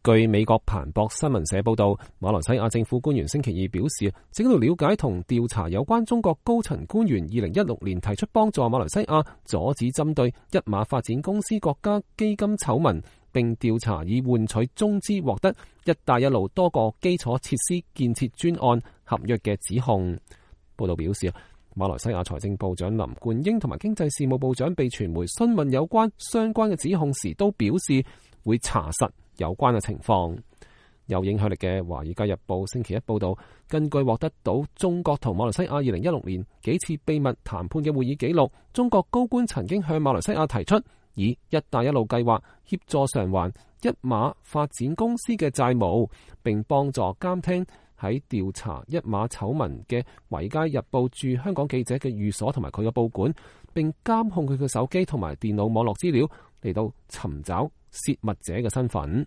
據美國彭博新聞社報道，馬來西亞政府官員星期二表示，正喺度了解同調查有關中國高層官員2016年提出幫助馬來西亞阻止針對一馬發展公司國家基金醜聞，並調查以換取中資獲得一帶一路多個基礎設施建設專案合約嘅指控。報道表示，馬來西亞財政部長林冠英同埋經濟事務部長被傳媒詢問有關相關嘅指控時，都表示會查實有關嘅情況。有影響力嘅《華爾街日報》星期一報道，根據獲得到中國同馬來西亞2016年幾次秘密談判嘅會議記錄，中國高官曾經向馬來西亞提出以一帶一路計劃協助償還一馬發展公司嘅債務，並幫助監聽喺調查一馬醜聞嘅《華爾街日報》駐香港記者嘅寓所同埋佢嘅報館，並監控佢嘅手機同埋電腦網絡資料，嚟到尋找洩密者嘅身份。